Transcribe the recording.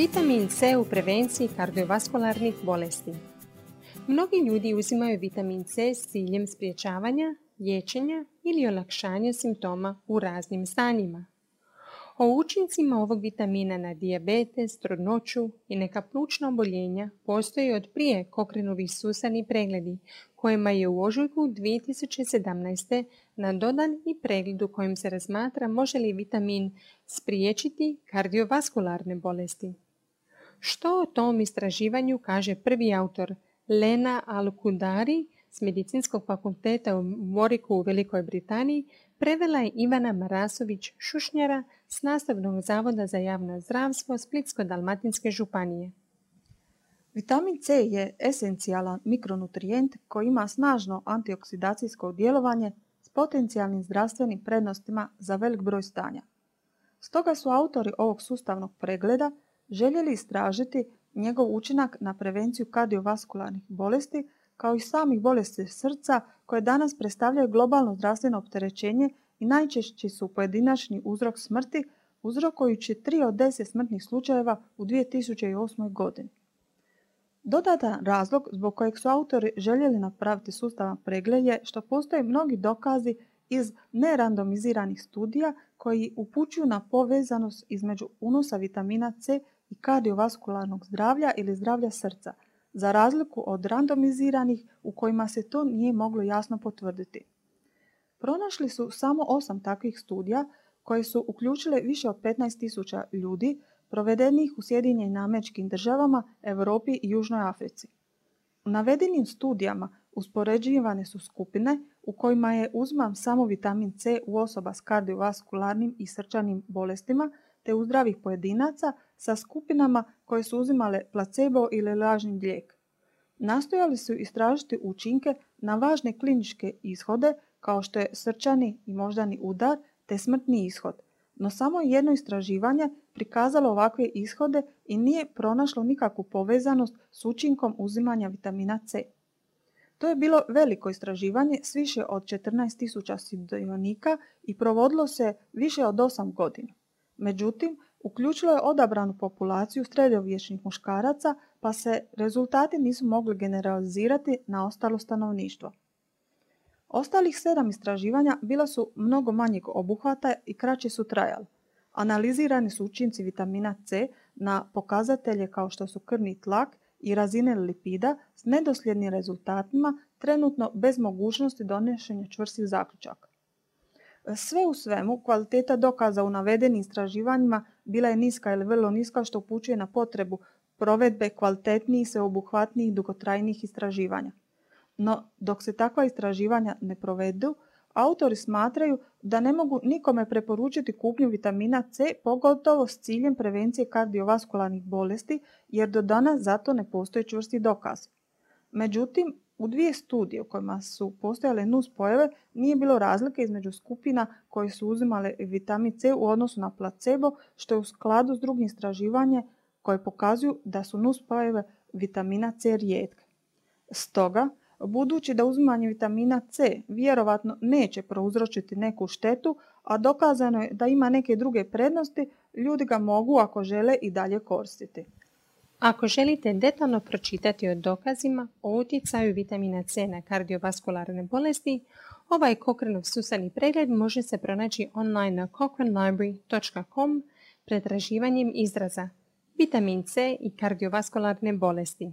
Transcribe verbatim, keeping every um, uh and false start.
Vitamin C u prevenciji kardiovaskularnih bolesti. Mnogi ljudi uzimaju vitamin C s ciljem sprječavanja, liječenja ili olakšanja simptoma u raznim stanjima. O učincima ovog vitamina na dijabetes, trudnoću i neka plućna oboljenja postoji od prije Cochraneovi sustavni pregledi, kojima je u ožujku dvije tisuće sedamnaeste nadodan i pregled u kojem se razmatra može li vitamin spriječiti kardiovaskularne bolesti. Što o tom istraživanju kaže prvi autor Lena Al-Kudari s Medicinskog fakulteta u Warwicku u Velikoj Britaniji, prevela je Ivana Marasović-Šušnjara s Nastavnog zavoda za javno zdravstvo Splitsko-dalmatinske županije. Vitamin C je esencijalan mikronutrijent koji ima snažno antioksidacijsko djelovanje s potencijalnim zdravstvenim prednostima za velik broj stanja. Stoga su autori ovog sustavnog pregleda željeli istražiti njegov učinak na prevenciju kardiovaskularnih bolesti kao i samih bolesti srca koje danas predstavljaju globalno zdravstveno opterećenje i najčešći su pojedinačni uzrok smrti, uzrokujući tri od deset smrtnih slučajeva u dvije tisuće osmoj. godini. Dodatan razlog zbog kojeg su autori željeli napraviti sustavan pregled je što postoje mnogi dokazi iz nerandomiziranih studija koji upućuju na povezanost između unosa vitamina C i kardiovaskularnog zdravlja ili zdravlja srca, za razliku od randomiziranih u kojima se to nije moglo jasno potvrditi. Pronašli su samo osam takvih studija koje su uključile više od petnaest tisuća ljudi provedenih u Sjedinjenim Američkim Državama, Europi i Južnoj Africi. U navedenim studijama uspoređivane su skupine u kojima je uziman samo vitamin C u osoba s kardiovaskularnim i srčanim bolestima te u zdravih pojedinaca sa skupinama koje su uzimale placebo ili lažni lijek. Nastojali su istražiti učinke na važne kliničke ishode kao što je srčani i moždani udar te smrtni ishod, no samo jedno istraživanje prikazalo ovakve ishode i nije pronašlo nikakvu povezanost s učinkom uzimanja vitamina C. To je bilo veliko istraživanje s više od četrnaest tisuća sudionika i provodilo se više od osam godina. Međutim, uključilo je odabranu populaciju sredovječnih muškaraca, pa se rezultati nisu mogli generalizirati na ostalo stanovništvo. Ostalih sedam istraživanja bila su mnogo manjeg obuhvata i kraće su trajali. Analizirani su učinci vitamina C na pokazatelje kao što su krvni tlak i razine lipida s nedosljednim rezultatima, trenutno bez mogućnosti donošenja čvrstih zaključaka. Sve u svemu, kvaliteta dokaza u navedenim istraživanjima bila je niska ili vrlo niska, što upućuje na potrebu provedbe kvalitetnijih, sveobuhvatnijih i dugotrajnijih istraživanja. No, dok se takva istraživanja ne provedu, autori smatraju da ne mogu nikome preporučiti kupnju vitamina C, pogotovo s ciljem prevencije kardiovaskularnih bolesti, jer do danas zato ne postoji čvrsti dokaz. Međutim, u dvije studije u kojima su postojale nuspojave nije bilo razlike između skupina koje su uzimale vitamin C u odnosu na placebo, što je u skladu s drugim istraživanjem koje pokazuju da su nuspojave vitamina C rijetke. Stoga, budući da uzimanje vitamina C vjerovatno neće prouzročiti neku štetu, a dokazano je da ima neke druge prednosti, ljudi ga mogu, ako žele, i dalje koristiti. Ako želite detaljno pročitati o dokazima o utjecaju vitamina C na kardiovaskularne bolesti, ovaj Cochraneov sustavni pregled može se pronaći online na cochrane library dot com pretraživanjem izraza vitamin C i kardiovaskularne bolesti.